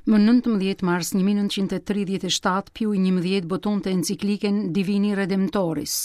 Më 19 mars 1937, Piu i 11 botonte enciklikën Divini Redemptoris,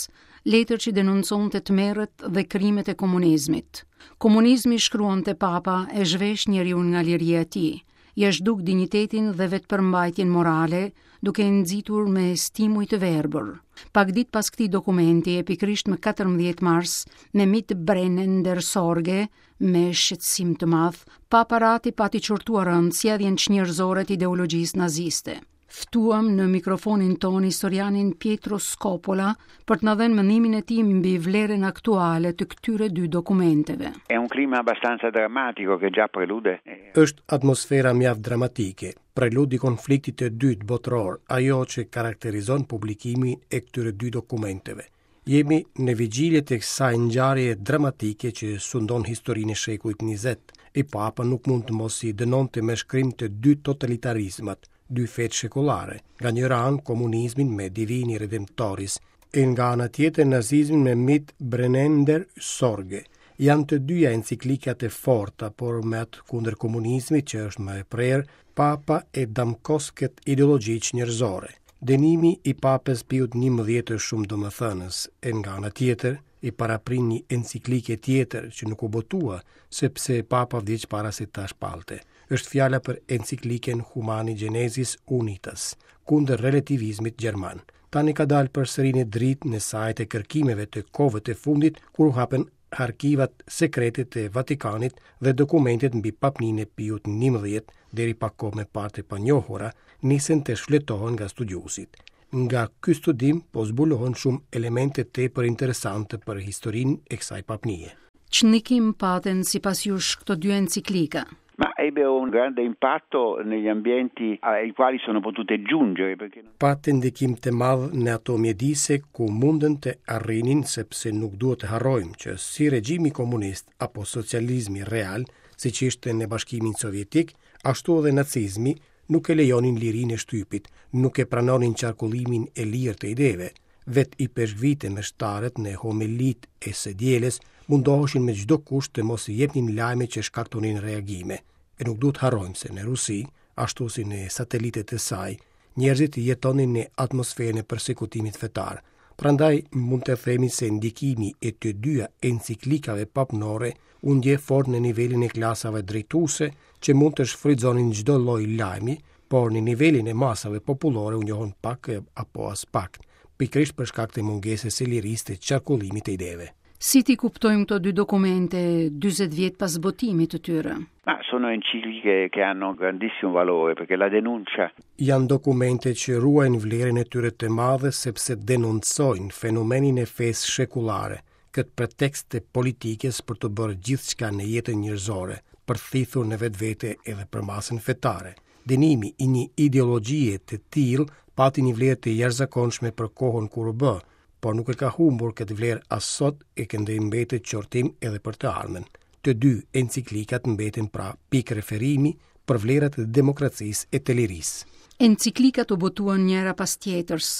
letër që denonconte tmerret dhe krimet e komunizmit. Komunizmi, shkruante Papa, e zhvesh njeriun nga liria e tij, ia zhduk dinjitetin dhe vetëpërmbajtjen morale, duke e nxitur me stimuj të verbër. Pak ditë pas këtij dokumenti, e pikërisht më 14 mars, me Mit brennender Sorge, me shqetësim të madh, Papa Rati pati qortuar rëndë sjelljen çnjerëzore të ideologjisë naziste. Ftuam në mikrofonin tonë historianin Pietro Scopola për të na dhënë mendimin e tij mbi vlerën aktuale të këtyre dy dokumenteve. È un clima abbastanza drammatico che già prelude. Është atmosfera mjaft dramatike, prelud i konfliktit të dytë botëror, ajo që karakterizon publikimin e këtyre dy dokumenteve. Jemi në vigjilje të kësaj ngjarjeje dramatike që sundon historinë e shekullit 20. E Papa nuk mund të mos i dënonte me shkrim të dy totalitarizmat, dy fetë shekullare, nga njëra anë komunizmin me Divini Redemptoris, e nga ana tjetër nazizmin me Mit brennender Sorge. Janë të dyja enciklika të forta, por me atë kundër komunizmit që është më e prerë, Papa e damkos këtë ideologji çnjerëzore. Dënimi i Papës Piut 11 është shumë domethënës, e nga ana tjetër, i paraprin një enciklike tjetër që nuk u botua, sepse Papa vdiq para se ta shpallte. Është fjala për encikliken Humani Generis Unitas, kundër relativizmit gjerman. Tani ka dalë përsëri në dritë në sajë të kërkimeve të kohëve të fundit, kur u hapen arkivat sekrete të Vatikanit dhe dokumentet mbi papninë e Piut 11, deri pak kohë më parë të panjohura, nisën të shfletohen nga studiuesit. Nga ky studim po zbulohen shumë elemente tepër interesante për historinë e kësaj papnie. Ç'ndikim patën sipas jush këto dy enciklika? Ma ebbero un grande impatto negli ambienti ai quali sono potute giungere perché Patën ndikim të madh në ato mjedise ku mundën të arrinin sepse nuk duhet të harrojmë që si regjimi komunist apo socializmi real, siç ishte në Bashkimin Sovjetik, ashtu edhe nacizmi, nuk e lejonin lirinë e shtypit, nuk e pranonin qarkullimin e lirë të ideve. Vetë ipeshkvijtë e meshtarët në homelitë e së dielës mundoheshin me çdo kusht të mos jepnin lajme që shkaktonin reagime. E nuk duhet harrojmë se në Rusi, ashtu si në satelitët e saj, njerëzit jetonin në atmosferën e persekutimit fetar. Prandaj mund të themi se ndikimi i të dyja enciklikave papnore u ndje fort në nivelin e klasave drejtuese që mund të shfrytëzonin çdo lloj lajmi, por në nivelin e masave popullore u njohën pak apo aspak, pikërisht për shkak të mungesës së lirisë të qarkullimit të ideve. Si t'i kuptojmë këto dy dokumente 40 vjet pas botimit të tyre? Ma sono encicliche che hanno un grandissimo valore perché la denuncia Janë dokumente që ruajnë vlerën e tyre të madhe sepse denoncojnë fenomenin e fesë shekullare, këtë pretekst të politikës për të bërë gjithçka në jetën njerëzore, për të thithur në vetvete edhe përmasën fetare. Dënimi i një ideologjie të tillë pati një vlerë të jashtëzakonshme për kohën kur u bë, por nuk e ka humbur këtë vlerë as sot e këndej mbetet qortim edhe për të ardhmen. Të dy enciklikat mbeten pra pikë referimi për vlerat e demokracisë e të lirisë. Enciklikat u botuan njëra pas tjetrës.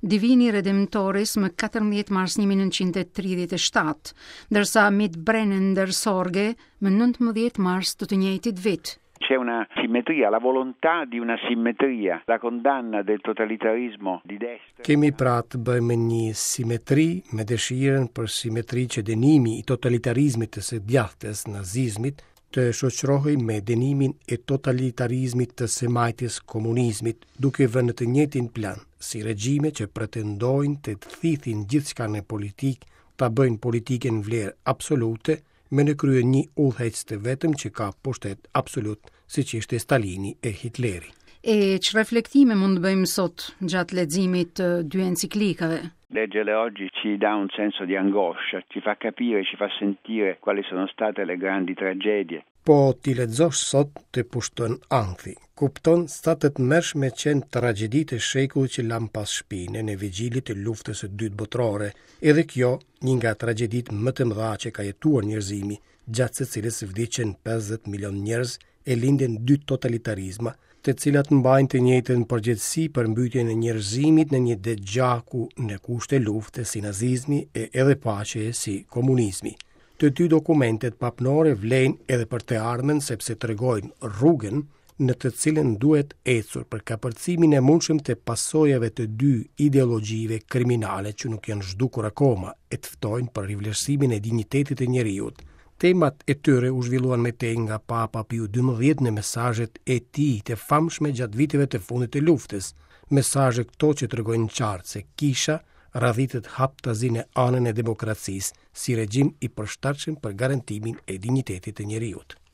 Divini Redemptoris më 14 mars 1937, ndërsa Mit brennender Sorge më 19 mars të të njëjtit vit. C'è una simmetria, la volontà di una simmetria, la condanna del totalitarismo di destra. Kemi pra të bëjmë me një simetri, me dëshirën për simetri që dënimi i totalitarizmit të së djathtës, nazizmit, të shoqërohej me dënimin e totalitarizmit të së majtës komunizmit, duke vënë në të njëjtin plan si regjime që pretendojnë të thithin gjithçka në politikë, ta bëjnë politikën vlerë absolute, me në krye një udhëheqës të vetëm që ka pushtet absolut, siç ishte Stalini e Hitleri. E ç'reflektime mund të bëjmë sot gjatë leximit të dy enciklikave? Leggerle oggi ci dà un senso di angoscia, ci fa capire, ci fa sentire quali sono state le grandi tragedie. Po t'i lexosh sot të pushton ankthi. Kupton sa të tmerrshme qenë tragjeditë e shekullit që lamë pas shpine në vigjilje të luftës së dytë botërore. Edhe kjo, një nga tragjeditë më të mëdha që ka jetuar njerëzimi, gjatë së cilës vdiqën 50 milion njerëz e lindën dy totalitarizma, të cilat mbajnë të njëjtën përgjegjësi për mbytjen e njerëzimit në një det gjaku në kushte lufte si nazizmi e edhe paqeje si komunizmi. Të dy dokumentet papnore vlejnë edhe për të ardhmen sepse tregojnë rrugën në të cilën duhet ecur për kapërcimin e mundshëm të pasojave të dy ideologjive kriminale që nuk janë zhdukur akoma e të ftojnë për rivlerësimin e dinjitetit të njeriut. Temat e tyre u zhvilluan më tej nga Papa Piu XII në mesazhet e tij të famshme gjatë viteve të fundit të luftës, mesazhe këto që tregojnë qartë se Kisha radhitet haptazi në anën e demokracisë, si regjim i përshtatshëm për garantimin e dinjitetit të njeriut.